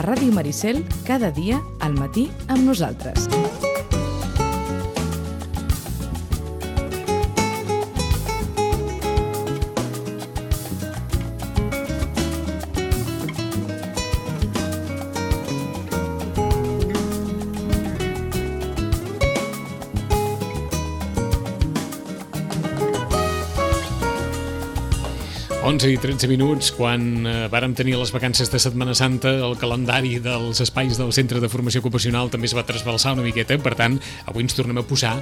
Ràdio Maricel, cada dia al matí amb nosaltres. I 13 minuts, quan vàrem tenir les vacances de Setmana Santa, el calendari dels espais del Centre de Formació Ocupacional també es va trasbalsar una miqueta, per tant, avui ens tornem a posar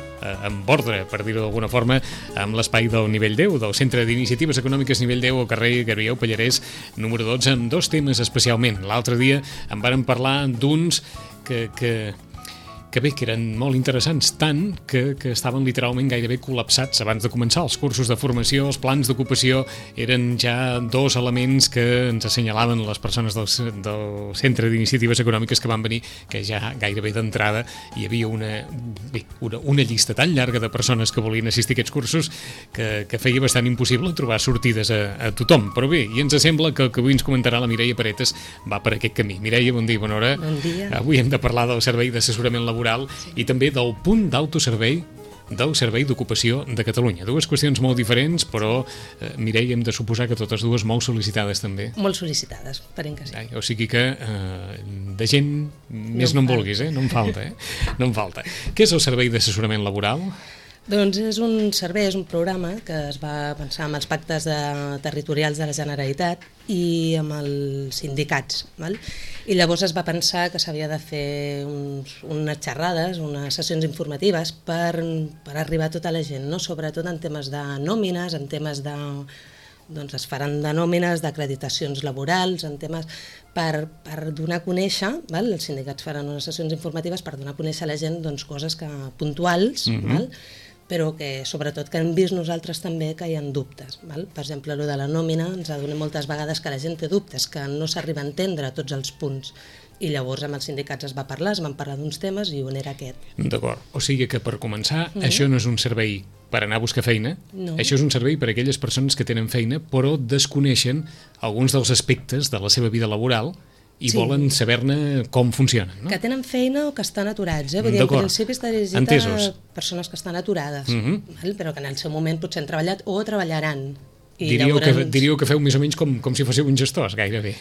en ordre, per dir-ho d'alguna forma, amb l'espai del nivell 10, del Centre d'Iniciatives Econòmiques nivell 10 al carrer Gabriel Pallarès, número 12, amb dos temes especialment. L'altre dia en vàrem parlar d'uns que eren molt interessants, tant que estaven literalment gairebé col·lapsats abans de començar els cursos de formació. Els plans d'ocupació eren ja dos elements que ens assenyalaven les persones del Centre d'Iniciatives Econòmiques que van venir, que ja gairebé d'entrada hi havia una llista tan llarga de persones que volien assistir a aquests cursos que feia bastant impossible trobar sortides a tothom. Però bé, i ens sembla que el que avui ens comentarà la Mireia Paretes va per aquest camí. Mireia, bon dia, bona hora. Bon dia. Avui hem de parlar del servei d'assessorament laboral i també del punt d'autoservei del Servei d'Ocupació de Catalunya. Dues qüestions molt diferents, però, Mireia, hem de suposar que totes dues molt sol·licitades també. Molt sol·licitades, esperem que sí. O sigui que de gent més no en vulguis, no en falta. No en falta. Què és el Servei d'Assessorament Laboral? Doncs és un servei, és un programa que es va pensar amb els pactes territorials de la Generalitat i amb els sindicats. Val? I llavors es va pensar que s'havia de fer unes xerrades, unes sessions informatives per arribar a tota la gent, no? Sobretot en temes de nòmines, en temes de... doncs es faran de nòmines, d'acreditacions laborals, en temes per donar a conèixer, val? Els sindicats faran unes sessions informatives per donar a conèixer a la gent coses puntuals, val? Però que sobretot que hem vist nosaltres també que hi ha dubtes. Val? Per exemple, el de la nòmina ens adona moltes vegades que la gent té dubtes, que no s'arriba a entendre tots els punts. I llavors amb els sindicats es van parlar d'uns temes i un era aquest. D'acord, o sigui que per començar, això no és un servei per anar a buscar feina, això és un servei per a aquelles persones que tenen feina però desconeixen alguns dels aspectes de la seva vida laboral i volen saber-ne com funcionen, no? Que tenen feina o que estan aturats, Vull dir, en principi està dirigit a persones que estan aturades, però que en el seu moment potser han treballat o treballaran. Diríeu que feu més o menys com si fóssiu uns gestors, gairebé,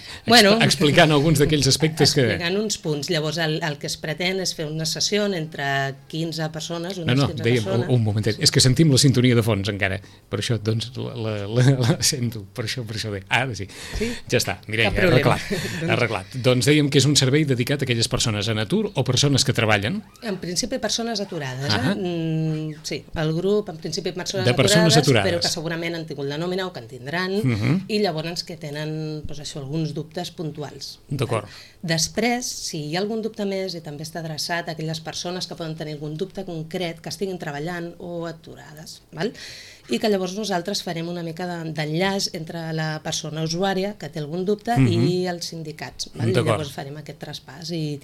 explicant alguns d'aquells aspectes que... Explicant uns punts. Llavors el que es pretén és fer una sessió entre 15 persones, dèiem, un momentet, és que sentim la sintonia de fons encara, per això, doncs, la sento, per això bé. Ara sí. Ja està, Mireia, arreglat. Doncs dèiem que és un servei dedicat a aquelles persones en atur o persones que treballen? En principi persones aturades, Sí, el grup, en principi persones aturades, però que segurament han tingut la nòmina o que en tindran, i llavors que tenen alguns dubtes puntuals. D'acord. Després, si hi ha algun dubte més, i també està adreçat a aquelles persones que poden tenir algun dubte concret, que estiguin treballant o aturades, val? I que llavors nosaltres farem una mica d'enllaç entre la persona usuària que té algun dubte i els sindicats. Val? I llavors farem aquest traspàs i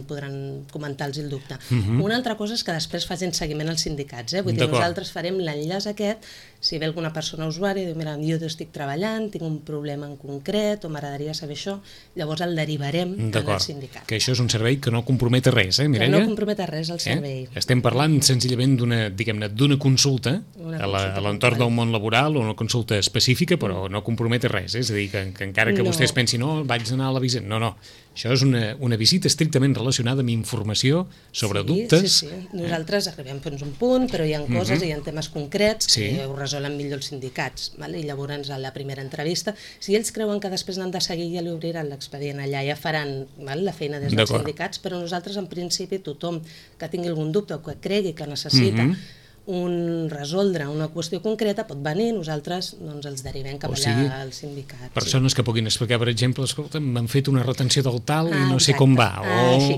podran comentar-los el dubte. Una altra cosa és que després facin seguiment als sindicats. Vull dir, nosaltres farem l'enllaç aquest, si ve alguna persona usuària i diu, mira, jo estic treballant, tinc un problema en concret o m'agradaria saber això, llavors el derivarem al sindicat. Que això és un servei que no compromet res, Mireia? No compromet res el servei. Estem parlant senzillament d'una consulta a l'entorn del món laboral o una consulta específica, però no compromet res, és a dir, que encara que vostès pensin, no, vaig anar a la visita, no, això és una visita estrictament relacionada amb informació sobre dubtes. Sí. Nosaltres arribem fins a un punt, però hi ha coses i hi ha temes concrets que ho resolen millor els sindicats, i llavors a la primera entrevista, si ells creuen que després n'han de seguir, ja li obriran l'expedient allà, ja faran la feina des dels sindicats, però nosaltres en principi tothom que tingui algun dubte o que cregui que necessita resoldre una qüestió concreta pot venir, nosaltres els derivem cap allà al sindicat. Persones que puguin explicar, per exemple, escolta, m'han fet una retenció del tal i no sé com va,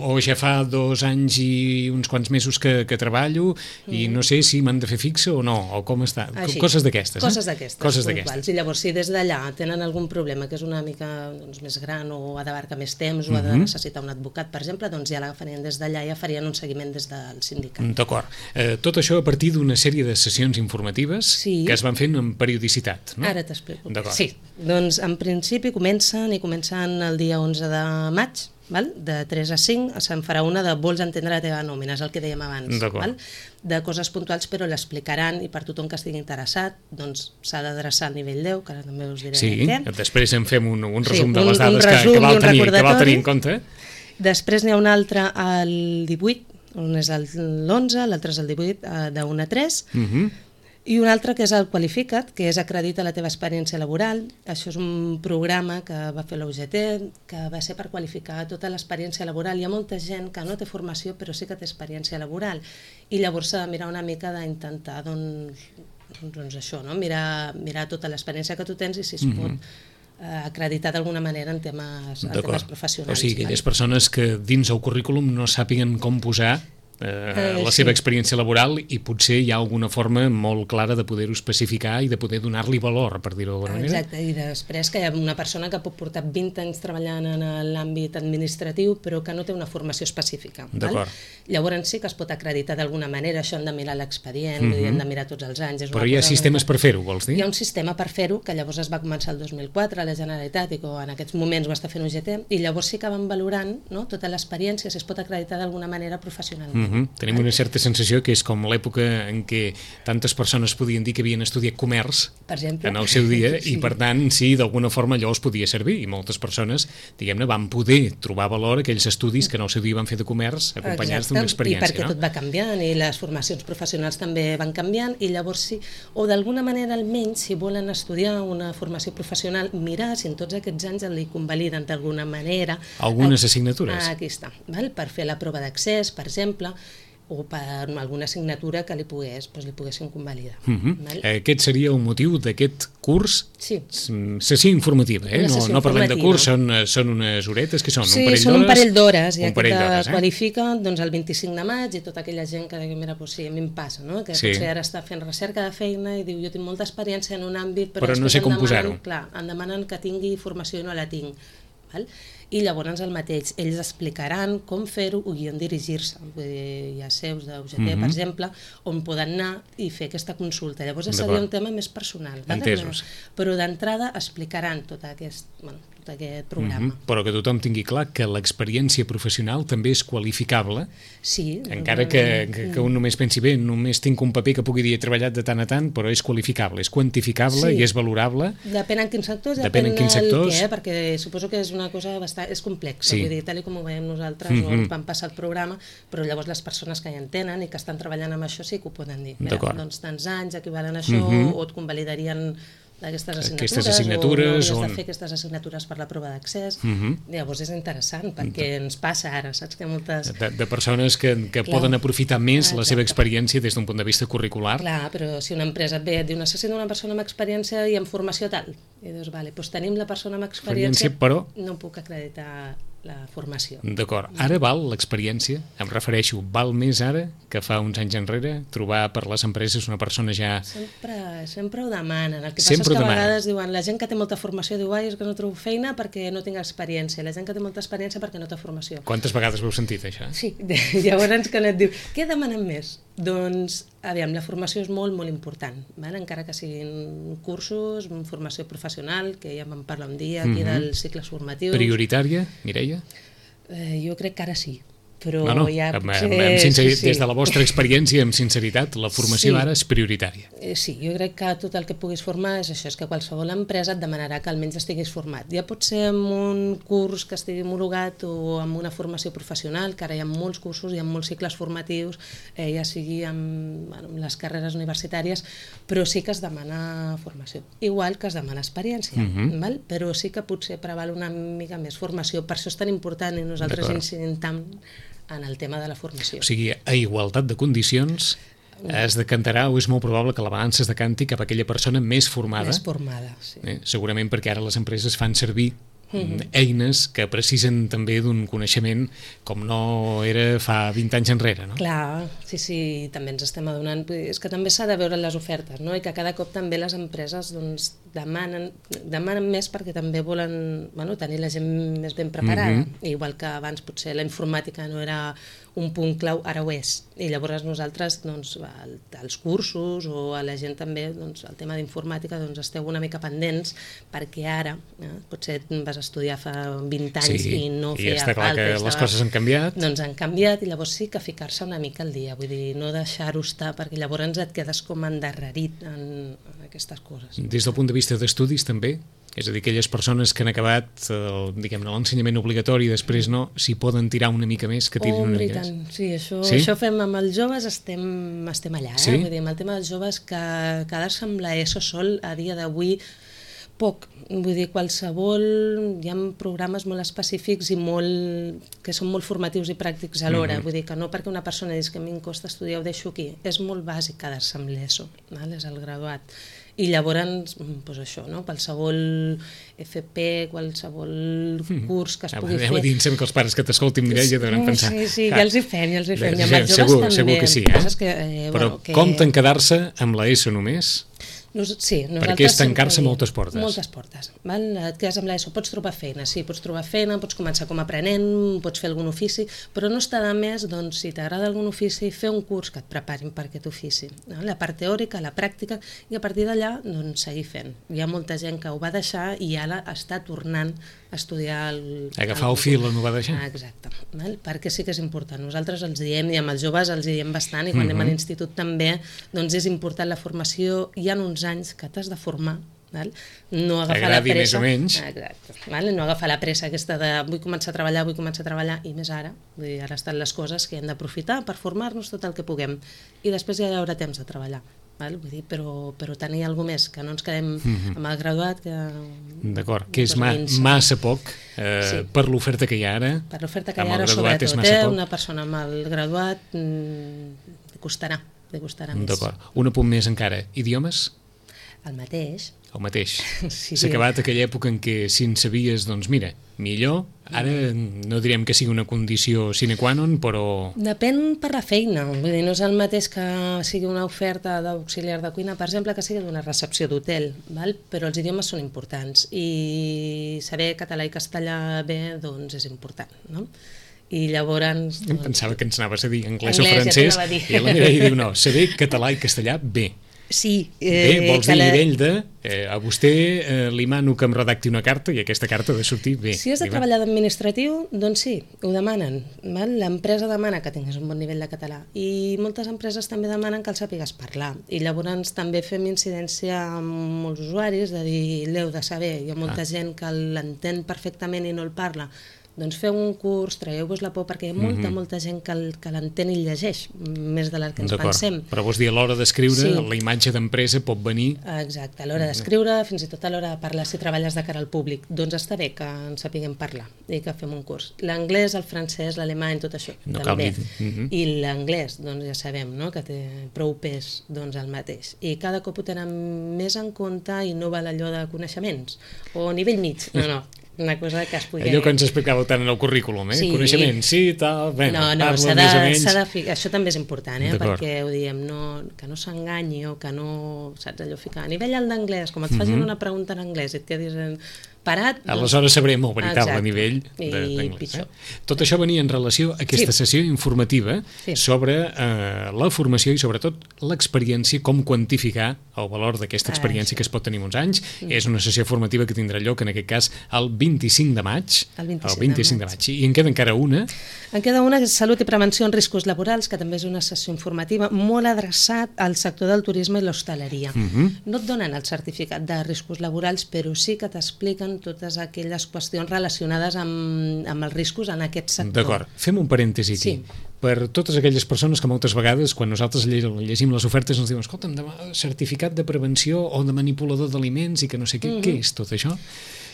o ja fa 2 anys i uns quants mesos que treballo i no sé si m'han de fer fixa o no, o com està, coses d'aquestes. Coses d'aquestes. I llavors, si des d'allà tenen algun problema que és una mica més gran o ha d'abarcar més temps o ha de necessitar un advocat, per exemple, doncs ja l'agafarien des d'allà i ja farien un seguiment des del sindicat. D'acord. Tot això a partir d'una sèrie de sessions informatives que es van fent amb periodicitat, no? Ara t'explico. Sí, doncs en principi comencen el dia 11 de maig, val? De 3 a 5 se'n farà una de vols entendre la teva nòmina, és el que dèiem abans, val? De coses puntuals, però l'explicaran i per tothom que estigui interessat doncs s'ha d'adreçar al nivell 10, que ara també us diré què. Sí, després en fem un resum de les dades que val tenir en compte. Després n'hi ha un altre al 18, un és l'11, l'altre és el 18, de 1 a 3, i un altre que és el Qualifica't, que és acredita la teva experiència laboral. Això és un programa que va fer la UGT, que va ser per qualificar tota l'experiència laboral. Hi ha molta gent que no té formació, però sí que té experiència laboral, i llavors s'ha de mirar una mica d'intentar, doncs això, no? Mirar tota l'experiència que tu tens i si es pot acreditar d'alguna manera en temes professionals. O sigui, aquelles persones que dins el currículum no sàpiguen com posar la seva experiència laboral i potser hi ha alguna forma molt clara de poder-ho especificar i de poder donar-li valor, per dir-ho d'alguna manera. Exacte, i després que hi ha una persona que pot portar 20 anys treballant en l'àmbit administratiu però que no té una formació específica. Llavors sí que es pot acreditar d'alguna manera, això han de mirar l'expedient, han de mirar tots els anys. Però hi ha sistemes per fer-ho, vols dir? Hi ha un sistema per fer-ho que llavors es va començar el 2004 a la Generalitat i que en aquests moments ho està fent UGT, i llavors sí que van valorant tota l'experiència, si es pot acreditar d'alguna manera professionalment. Tenim una certa sensació que és com l'època en què tantes persones podien dir que havien estudiat comerç en el seu dia i per tant sí, d'alguna forma allò els podia servir i moltes persones, diguem-ne, van poder trobar valor a aquells estudis que en el seu dia van fer de comerç acompanyats d'una experiència. I perquè tot va canviant i les formacions professionals també van canviant i llavors sí, o d'alguna manera almenys si volen estudiar una formació professional, mirar si en tots aquests anys li convaliden d'alguna manera algunes assignatures. Aquí està, per fer la prova d'accés, per exemple, o per alguna assignatura que li poguessin convalidar. Aquest seria el motiu d'aquest curs? Sessió informativa, no parlem de curs, són unes horetes, que són? Sí, són un parell d'hores, i aquest qualifica el 25 de maig, i tota aquella gent que digui, mira, sí, a mi em passa, que potser ara està fent recerca de feina i diu, jo tinc molta experiència en un àmbit, però no sé com posar-ho. Clar, em demanen que tingui formació i no la tinc. I llavors el mateix, ells explicaran com fer-ho i on dirigir-se. Hi ha seus d'UGT, per exemple, on poden anar i fer aquesta consulta. Llavors seria un tema més personal. Entesos. Però d'entrada explicaran tot aquest programa. Però que tothom tingui clar que l'experiència professional també és qualificable, encara que un només pensi, bé, només tinc un paper que pugui dir he treballat de tant a tant, però és qualificable, és quantificable i és valorable. Depèn en quins sectors, depèn del què, perquè suposo que és una cosa és complexa, vull dir, tal com ho veiem nosaltres, o ens van passar el programa, però llavors les persones que hi entenen i que estan treballant amb això sí que ho poden dir. Doncs tants anys equivalen a això, o et convalidarien aquestes assignatures o has de fer aquestes assignatures per la prova d'accés. Llavors és interessant perquè ens passa ara, saps que moltes... De persones que poden aprofitar més la seva experiència des d'un punt de vista curricular. Clar, però si una empresa et ve i et diu necessito una persona amb experiència i amb formació tal, i dius, vale, doncs tenim la persona amb experiència, però no puc acreditar la formació. D'acord. Ara val l'experiència? Em refereixo, val més ara que fa uns anys enrere trobar per les empreses una persona ja... Sempre ho demanen. El que passa és que a vegades diuen la gent que té molta formació diu és que no trobo feina perquè no tinc experiència. La gent que té molta experiència perquè no té formació. Quantes vegades ho heu sentit, això? Sí. Llavors quan et diu, què demanen més? Doncs, aviam, la formació és molt, molt important, encara que siguin cursos, formació professional, que ja vam parlar un dia aquí dels cicles formatius. Prioritària, Mireia? Jo crec que ara sí. Però ja des de la vostra experiència, amb sinceritat, la formació ara és prioritària. Sí, jo crec que tot el que puguis formar és això, és que qualsevol empresa et demanarà que almenys estiguis format. Ja pot ser amb un curs que estigui homologat o amb una formació professional, que ara hi ha molts cursos, hi ha molts cicles formatius, ja sigui amb les carreres universitàries, però sí que es demana formació. Igual que es demana experiència, però sí que potser preval una mica més formació. Per això és tan important i nosaltres incidim tant en el tema de la formació. O sigui, a igualtat de condicions es decantarà o és molt probable que la balança es decanti cap a aquella persona més formada. Més formada, sí. Segurament perquè ara les empreses fan servir eines que precisen també d'un coneixement com no era fa 20 anys enrere, no? Clar, sí, també ens estem adonant. És que també s'ha de veure les ofertes, no? I que cada cop també les empreses demanen més perquè també volen tenir la gent més ben preparada. Igual que abans potser la informàtica no era un punt clau, ara ho és. I llavors nosaltres, als cursos o a la gent també, el tema d'informàtica, esteu una mica pendents perquè ara potser vas vas estudiar fa 20 anys i no i feia està clar falta. que les coses han canviat. Doncs han canviat, i llavors sí que ficar-se una mica al dia, vull dir, no deixar-ho estar, perquè llavors et quedes com endarrerit en aquestes coses. Des del punt de vista d'estudis també? És a dir, aquelles persones que han acabat l'ensenyament obligatori i després no, si poden tirar una mica més, que tirin una mica més. Sí, això fem amb els joves, estem allà. Sí? Vull dir, amb el tema dels joves, que quedar-se amb l'ESO sol a dia d'avui poc. Vull dir, hi ha programes molt específics i que són molt formatius i pràctics alhora. Vull dir que no perquè una persona digui que a mi em costa estudiar, ho deixo aquí. És molt bàsic quedar-se amb l'ESO, és el graduat. I llavors, doncs això, no? Qualsevol FP, qualsevol curs que es pugui fer... Aneu a dir que els pares que t'escoltin, Mireia, deuen pensar... Sí, ja els hi fem. I amb els joves també. Segur que sí, Però compten quedar-se amb l'ESO només? Sí, perquè és tancar-se moltes portes. Moltes portes. Et quedes amb l'ESO, pots trobar feina, pots començar com a aprenent, pots fer algun ofici, però no està de més, doncs, si t'agrada algun ofici, fer un curs que et preparin per aquest ofici. La part teòrica, la pràctica, i a partir d'allà, doncs, seguir fent. Hi ha molta gent que ho va deixar i ara està tornant a estudiar agafar el fil on ho va deixar. Exacte, perquè sí que és important. Nosaltres els diem, i amb els joves els diem bastant, i quan anem a l'institut també, doncs és important la formació. Hi ha uns anys que t'has de formar, no agafar la pressa, més o menys. Exacte, no agafar la pressa aquesta de vull començar a treballar, i més ara, ara estan les coses que hem d'aprofitar per formar-nos tot el que puguem, i després ja hi haurà temps de treballar. Vull dir, però tenir alguna més, que no ens quedem amb el graduat. D'acord, que és massa poc per l'oferta que hi ha ara. Per l'oferta que hi ha ara, sobretot, una persona amb el graduat li costarà més. D'acord, un apunt més encara, idiomes? El mateix. El mateix. S'ha acabat aquella època en què si en sabies, doncs mira, millor. Ara no direm que sigui una condició sine qua non, però... Depèn per la feina. Vull dir, no és el mateix que sigui una oferta d'auxiliar de cuina, per exemple, que sigui d'una recepció d'hotel, però els idiomes són importants i saber català i castellà bé, doncs és important, no? I llavors... Em pensava que ens anaves a dir anglès o francès, i la Mireia diu no, saber català i castellà bé. Sí. Bé, vols dir nivell de... A vostè li mano que em redacti una carta i aquesta carta ha de sortir bé. Si has de treballar d'administratiu, doncs sí, ho demanen. L'empresa demana que tinguis un bon nivell de català i moltes empreses també demanen que el sàpigues parlar. I llavors també fem incidència amb molts usuaris de dir, l'heu de saber, hi ha molta gent que l'entén perfectament i no el parla. Doncs feu un curs, traieu-vos la por, perquè hi ha molta gent que l'entén i llegeix, més de la que ens pensem. Però vols dir, a l'hora d'escriure, la imatge d'empresa pot venir... Exacte, a l'hora d'escriure, fins i tot a l'hora de parlar, si treballes de cara al públic, doncs està bé que ens sapiguem parlar i que fem un curs. L'anglès, el francès, l'alemany, tot això, també. I l'anglès, doncs ja sabem, que té prou pes, doncs el mateix. I cada cop ho tenen més en compte i no val allò de coneixements, o nivell mig, no. Una cosa que es pugui... Allò que ens explicàveu tant en el currículum, coneixement, sí, tal... No, s'ha de ficar... Això també és important, perquè ho diem, que no s'enganyi o que no... Saps, allò ficar a nivell alt d'anglès, com et facin una pregunta en anglès i et quedis parat... Aleshores sabrem el veritable nivell d'anglès. Tot això venia en relació a aquesta sessió informativa sobre la formació i sobretot l'experiència, com quantificar el valor d'aquesta experiència que es pot tenir uns anys. És una sessió formativa que tindrà lloc, en aquest cas, el 25 de maig. El 25 de maig. I en queda encara una? En queda una, que és Salut i Prevenció en Riscos Laborals, que també és una sessió informativa molt adreçat al sector del turisme i l'hostaleria. No et donen el certificat de riscos laborals, però sí que t'expliquen totes aquelles qüestions relacionades amb els riscos en aquest sector. D'acord, fem un parèntesi aquí. Per totes aquelles persones que moltes vegades, quan nosaltres llegim les ofertes, ens diuen, escolta'm, certificat de prevenció o de manipulador d'aliments i que no sé què, què és tot això?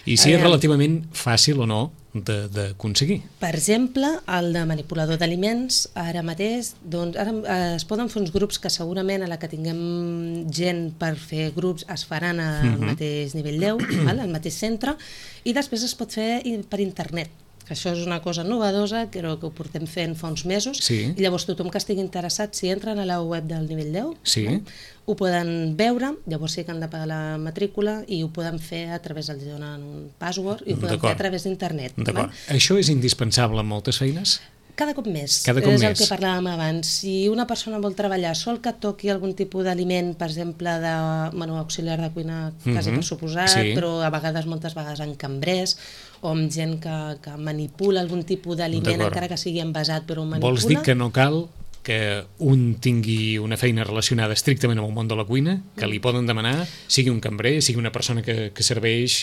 I si és relativament fàcil o no d'aconseguir. Per exemple, el de manipulador d'aliments, ara mateix, doncs, ara es poden fer uns grups que segurament a la que tinguem gent per fer grups es faran al mateix nivell 10, al mateix centre, i després es pot fer per internet. Això és una cosa novedosa, crec que ho portem fent fa uns mesos, i llavors tothom que estigui interessat, si entren a la web del nivell 10, ho poden veure, llavors sí que han de pagar la matrícula i ho poden fer a través del donen un password i ho poden fer a través d'internet. D'acord. Això és indispensable en moltes feines? Cada cop més. És el que parlàvem abans. Si una persona vol treballar sol que toqui algun tipus d'aliment, per exemple, auxiliar de cuina, quasi per suposat, però a vegades, moltes vegades en cambrers, o amb gent que manipula algun tipus d'aliment, encara que sigui envasat, però ho manipula. Vols dir que no cal que un tingui una feina relacionada estrictament amb el món de la cuina, que li poden demanar, sigui un cambrer, sigui una persona que serveix,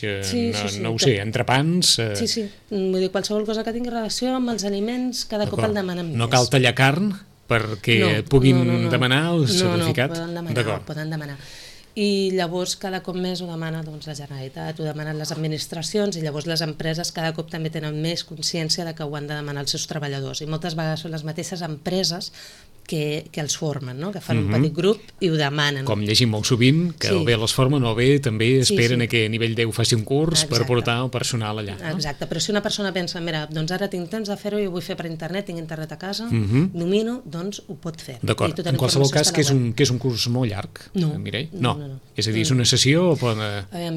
no ho sé, entrepans... Sí, vull dir, qualsevol cosa que tingui relació amb els aliments, cada cop el demanen més. No cal tallar carn perquè puguin demanar el certificat? No, poden demanar. I llavors cada cop més ho demana la Generalitat, ho demanen les administracions, i llavors les empreses cada cop també tenen més consciència de que ho han de demanar els seus treballadors, i moltes vegades són les mateixes empreses que els formen, que fan un petit grup i ho demanen. Com llegim molt sovint, que o bé les formen o bé també esperen que a nivell 10 faci un curs per portar el personal allà. Exacte, però si una persona pensa, mira, doncs ara tinc temps de fer-ho i ho vull fer per internet, tinc internet a casa, domino, doncs ho pot fer. D'acord, en qualsevol cas que és un curs molt llarg, Mireia? No. És a dir, és una sessió o pot...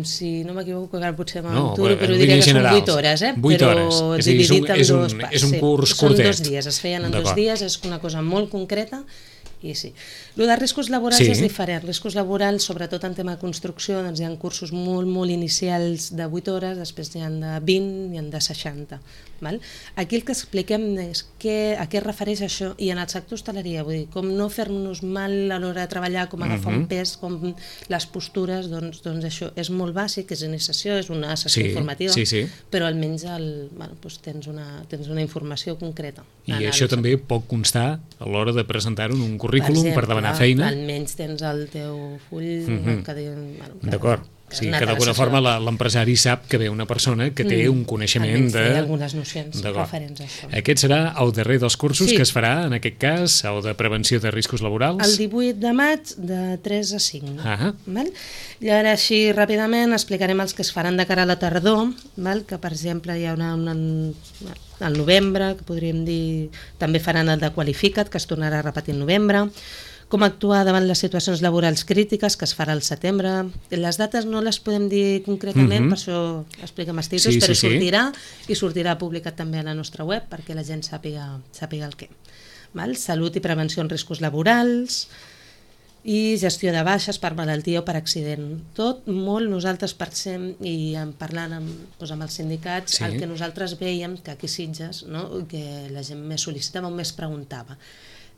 Si no m'equivoco, potser m'aventuro, però diria que són 8 hores, 8 hores, però dividit en dos parts. És un curs curtet. Són 2 dies, es feien en 2 dies, és una cosa molt concreta, i sí. El de riscos laborals és diferent. Riscos laborals, sobretot en tema de construcció, doncs hi ha cursos molt, molt inicials de 8 hores, després n'hi ha de 20 i de 60. Aquí el que expliquem és a què es refereix això, i en el sector hostaleria, vull dir, com no fer-nos mal a l'hora de treballar, com agafar un pes, com les postures, doncs això és molt bàsic, és iniciació, és una sessió informativa, però almenys tens una informació concreta. I això també pot constar a l'hora de presentar-ho en un currículum per demanar feina? Almenys tens el teu full que diuen... D'acord. Sí, que d'alguna forma l'empresari sap que ve una persona que té un coneixement de... algunes nocions referents a això. Aquest serà el darrer dels cursos que es farà, en aquest cas, el de prevenció de riscos laborals? El 18 de maig, de 3 a 5. I ara, així, ràpidament, explicarem els que es faran de cara a la tardor, que, per exemple, hi ha al novembre, que podríem dir... També faran el de Qualifica't, que es tornarà a repetir en novembre. Com actuar davant les situacions laborals crítiques, que es farà al setembre. Les dates no les podem dir concretament, per això expliquem els títols, però sortirà publicat també a la nostra web perquè la gent sàpiga el què. Salut i prevenció en riscos laborals i gestió de baixes per malaltia o per accident. Tot molt nosaltres pensem, i parlant amb els sindicats, el que nosaltres veiem que aquí a Sitges, que la gent més sol·licitava o més preguntava.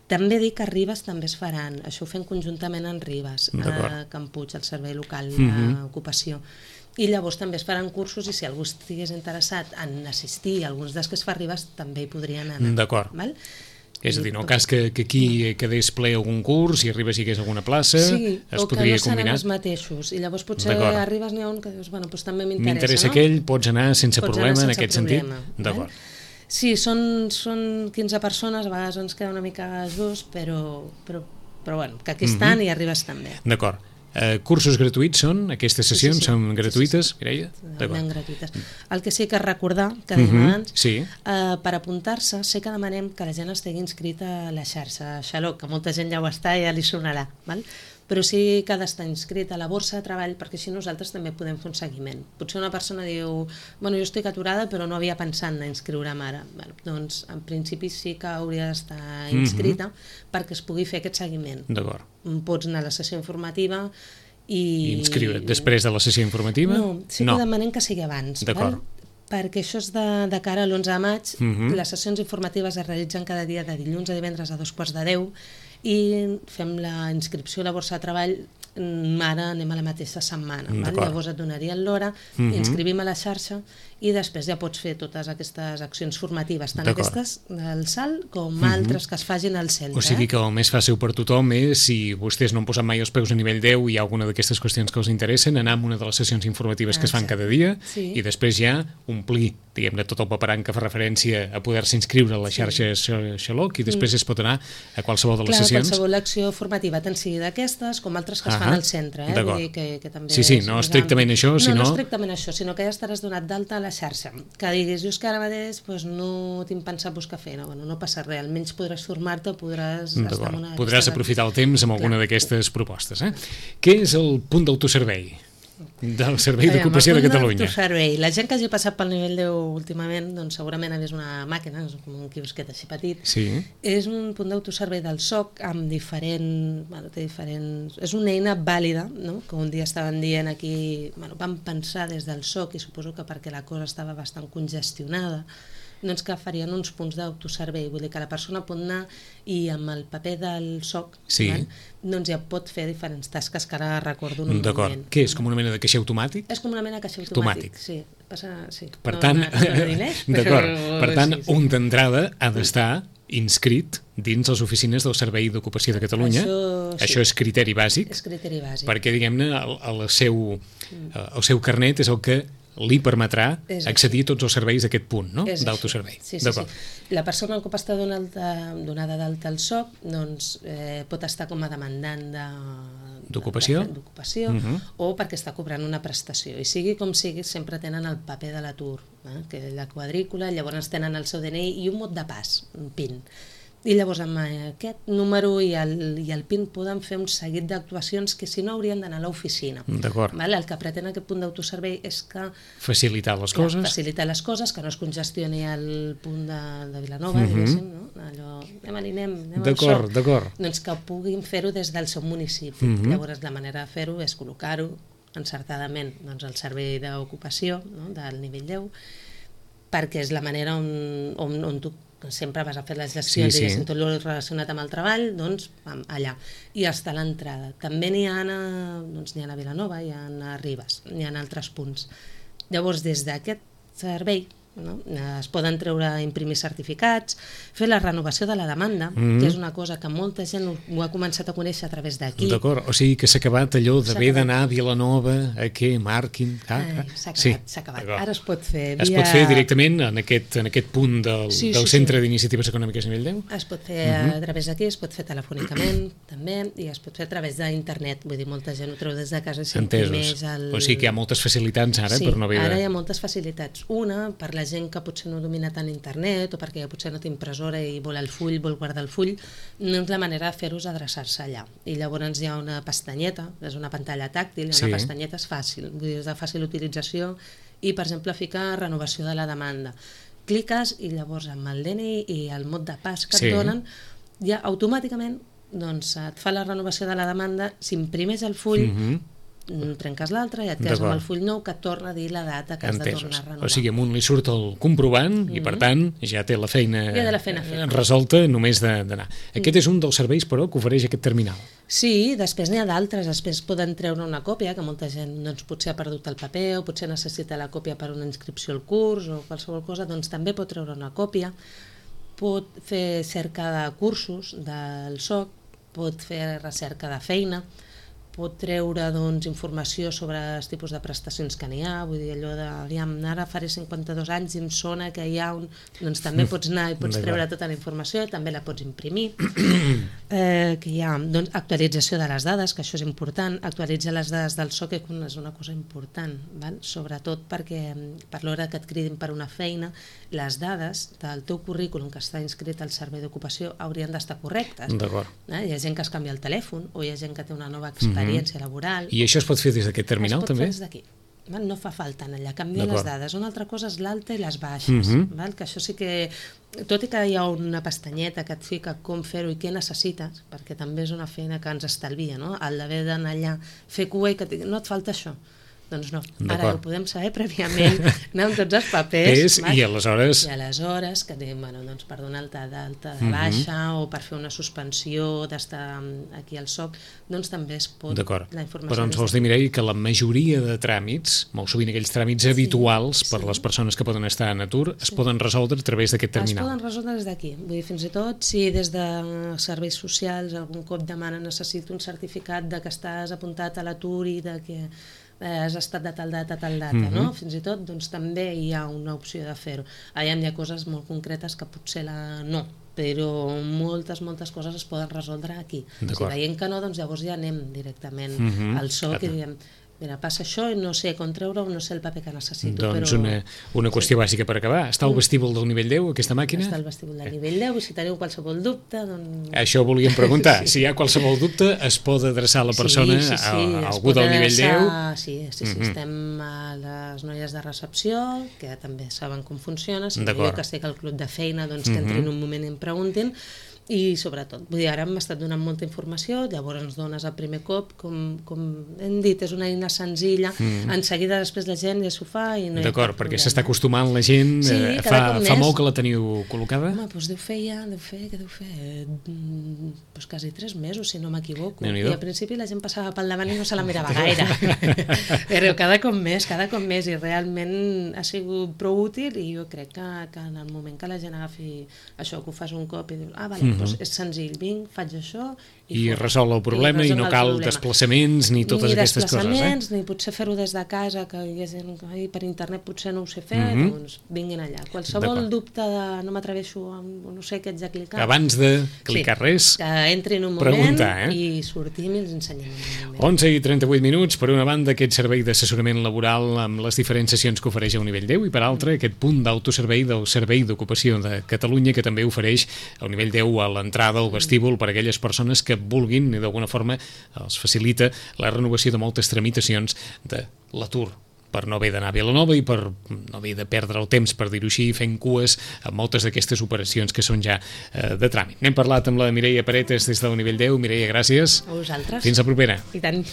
També dic que a Ribes també es faran, això ho fem conjuntament en Ribes, a Can Puig, el servei local d'ocupació. I llavors també es faran cursos, i si algú estigués interessat en assistir a alguns dels que es fa a Ribes, també hi podrien anar. D'acord. És a dir, en el cas que aquí quedés ple algun curs i a Ribes hi hagués alguna plaça, es podria combinar? Sí, o que no seran els mateixos, i llavors potser a Ribes n'hi ha un que dius, doncs també m'interessa, no? M'interessa aquell, pots anar sense problema en aquest sentit? D'acord. Sí, són 15 persones, a vegades ens queda una mica just, però bueno, que aquí estan i arribes també. D'acord. Cursos gratuïts són? Aquestes sessions són gratuïtes, Mireia? Totalment gratuïtes. El que sí que recordar, que dèiem abans, per apuntar-se, sé que demanem que la gent estigui inscrita a la xarxa Xaloc, que molta gent ja ho està i ja li sonarà, però sí que ha d'estar inscrit a la borsa de treball, perquè així nosaltres també podem fer un seguiment. Potser una persona diu, bueno, jo estic aturada però no havia pensat en inscriure'm ara. Doncs en principi sí que hauria d'estar inscrita perquè es pugui fer aquest seguiment. D'acord. Pots anar a la sessió informativa i... Inscriure't després de la sessió informativa? No, sí que demanem que sigui abans. D'acord. Perquè això és de cara a l'11 de maig, les sessions informatives es realitzen cada dia de dilluns a divendres a 9:45 i fem la inscripció a la borsa de treball, ara anem a la mateixa setmana. Llavors et donarien l'hora, inscrivim a la xarxa i després ja pots fer totes aquestes accions formatives, tant aquestes del SAL com altres que es facin al centre. O sigui que el més fàcil per tothom és, si vostès no han posat mai els peus a nivell 10 i hi ha alguna d'aquestes qüestions que els interessen, anar a una de les sessions informatives que es fan cada dia i després ja omplir, diguem-ne, tot el paperant que fa referència a poder-se inscriure a la xarxa Xaloc i després es pot anar a qualsevol de les sessions. Qualsevol acció formativa, tant sigui d'aquestes com altres que es fan al centre. D'acord. Vull dir que també sí, no estrictament això, sinó... No estrictament això, sinó que ja estaràs donat d'alta a la xarxa. Que diguis, jo és que ara mateix no tinc pensat buscar feina, no passa res, almenys podràs formar-te, podràs estar en una... Podràs aprofitar el temps amb alguna d'aquestes propostes. Què és el punt d'autoservei? del Servei d'Ocupació de Catalunya. Servei. La gent que hagi passat pel nivell 10 últimament, doncs segurament ha vist una màquina, és com un quiosquet així petit. Sí. És un punt d'autoservei del SOC amb té diferents... És una eina vàlida, no? Que un dia estaven dient aquí... Vam pensar des del SOC, i suposo que perquè la cosa estava bastant congestionada, doncs que farien uns punts d'autoservei, vull dir que la persona pot anar i amb el paper del SOC doncs ja pot fer diferents tasques que ara recordo en un moment. D'acord. Què és, com una mena de caixer automàtic? És com una mena de caixer automàtic. Sí. Per tant, un d'entrada ha d'estar inscrit dins les oficines del Servei d'Ocupació de Catalunya. Això és criteri bàsic. És criteri bàsic. Perquè, diguem-ne, el seu carnet és el que li permetrà accedir a tots els serveis d'aquest punt, no? D'autoservei. Sí. La persona que està donada d'alta al SOC doncs, pot estar com a demandant d'ocupació o perquè està cobrant una prestació. I sigui com sigui, sempre tenen el paper de l'atur, que és la quadrícula, llavors tenen el seu DNI i un mot de pas, un PIN. I llavors amb aquest número i el PIN poden fer un seguit d'actuacions que si no haurien d'anar a l'oficina. D'acord. El que pretén aquest punt d'autoservei és que... Facilitar les coses. Facilitar les coses, que no es congestioni el punt de Vilanova, diguéssim, no? Allò, anem d'acord. Doncs que puguin fer-ho des del seu municipi. Llavors la manera de fer-ho és col·locar-ho encertadament al servei d'ocupació del nivell 10, perquè és la manera on tu sempre vas a fer les gestions i tot el relacionat amb el treball, doncs allà. I està a l'entrada. També n'hi ha a Vilanova, hi ha a Ribes, n'hi ha altres punts. Llavors, des d'aquest servei, es poden imprimir certificats, fer la renovació de la demanda, que és una cosa que molta gent ho ha començat a conèixer a través d'aquí. D'acord, o sigui que s'ha acabat allò d'haver d'anar a Vilanova, a què marquin... S'ha acabat. Ara es pot fer Es pot fer directament en aquest punt del Centre d'Iniciatives Econòmiques nivell 10? Es pot fer a través d'aquí, es pot fer telefònicament també, i es pot fer a través d'internet, vull dir, molta gent ho treu des de casa. Entesos. O sigui que hi ha moltes facilitats ara per no haver de... Ara hi ha moltes facilitats. Una, per la gent que potser no domina tant internet o perquè ja potser no té impressora i vol guardar el full, doncs la manera de fer-ho és adreçar-se allà. I llavors hi ha una pestanyeta, és una pantalla tàctil, una pestanyeta és fàcil, vull dir, és de fàcil utilització i, per exemple, ficar renovació de la demanda. Cliques i llavors amb el DNI i el mot de pas que et donen, ja automàticament et fa la renovació de la demanda, s'imprimeix el full, trenques l'altre i et quedes amb el full nou que et torna a dir la data que has de tornar a renovar. O sigui, amunt li surt el comprovant i per tant ja té la feina resolta només d'anar. Aquest és un dels serveis però que ofereix aquest terminal. Sí, després n'hi ha d'altres, després poden treure una còpia, que molta gent potser ha perdut el paper o potser necessita la còpia per una inscripció al curs o qualsevol cosa, doncs també pot treure una còpia, pot fer cerca de cursos del SOC, pot fer recerca de feina, pot treure informació sobre els tipus de prestacions que n'hi ha, vull dir, allò de, ara faré 52 anys i em sona que hi ha un... Doncs també pots anar i pots treure tota la informació, també la pots imprimir. Que hi ha actualització de les dades, que això és important, actualitzar les dades del SOC és una cosa important, sobretot perquè per l'hora que et cridin per una feina, les dades del teu currículum que està inscrit al servei d'ocupació haurien d'estar correctes. Hi ha gent que es canvia el telèfon o hi ha gent que té una nova experiència laboral. I això es pot fer des d'aquest terminal també? Es pot fer des d'aquí. No fa falta anar allà, canvia les dades. Una altra cosa és l'alta i les baixes, que això sí que, tot i que hi ha una pestanyeta que et fica com fer-ho i què necessites, perquè també és una feina que ens estalvia, el d'haver d'anar allà, fer cua i que no et falta això. Doncs no, ara ho podem saber prèviament, anar amb tots els papers. I aleshores... I aleshores, que per donar d'alta de baixa o per fer una suspensió d'estar aquí al SOC, doncs també es pot... D'acord, però ens vols dir, Mireia, que la majoria de tràmits, molt sovint aquells tràmits habituals per les persones que poden estar en atur, es poden resoldre a través d'aquest terminal. Es poden resoldre des d'aquí. Vull dir, fins i tot, si des de serveis socials algun cop demana necessito un certificat de que estàs apuntat a l'atur i de que has estat de tal data a tal data, no? Fins i tot doncs, també hi ha una opció de fer-ho. Hi ha coses molt concretes que potser no, però moltes coses es poden resoldre aquí. Si veiem que no, doncs llavors ja anem directament al SOC i diem mira, passa això i no sé com treure-ho, no sé el paper que necessito. Doncs però... una qüestió bàsica per acabar. Està al vestíbul del nivell 10, aquesta màquina? Està al vestíbul del nivell 10 i si teniu qualsevol dubte, doncs... Això volíem preguntar. Si hi ha qualsevol dubte, es pot adreçar la persona a algú del nivell 10? Sí, estem a les noies de recepció, que també saben com funciona, si jo que estic al club de feina, doncs que entrin un moment i em preguntin, i sobretot, vull dir, ara m'ha estat donant molta informació, llavors ens dones el primer cop, com hem dit, és una eina senzilla, en seguida després la gent ja s'ho fa i no hi ha D'acord, perquè s'està acostumant la gent, fa molt que la teniu col·locada? Home, doncs què deu fer? Doncs quasi 3 mesos, si no m'equivoco, i al principi la gent passava pel davant i no se la mirava gaire, però cada cop més, i realment ha sigut prou útil, i jo crec que en el moment que la gent agafi això, que ho fas un cop i dius, vale, doncs és senzill, vinc, faig això i resol el problema i no cal desplaçaments ni totes aquestes coses. Ni desplaçaments, ni potser fer-ho des de casa, que hi ha gent que per internet potser no ho sé fer, doncs vinguin allà. Qualsevol dubte de no m'atreveixo, no sé què haig de clicar. Abans de clicar res, que entrin un moment i sortim i els ensenyem un moment. 11 i 38 minuts, per una banda aquest servei d'assessorament laboral amb les diferents sessions que ofereix a nivell 10 i per altra aquest punt d'autoservei del Servei d'Ocupació de Catalunya que també ofereix a nivell 10 a l'entrada al vestíbul per a aquelles persones que vulguin i d'alguna forma els facilita la renovació de moltes tramitacions de l'atur per no haver d'anar a Vilanova i per no haver de perdre el temps, per dir-ho així, fent cues amb moltes d'aquestes operacions que són ja de tràmit. N'hem parlat amb la Mireia Paretes des del nivell 10. Mireia, gràcies. A vosaltres. Fins la propera. I tant.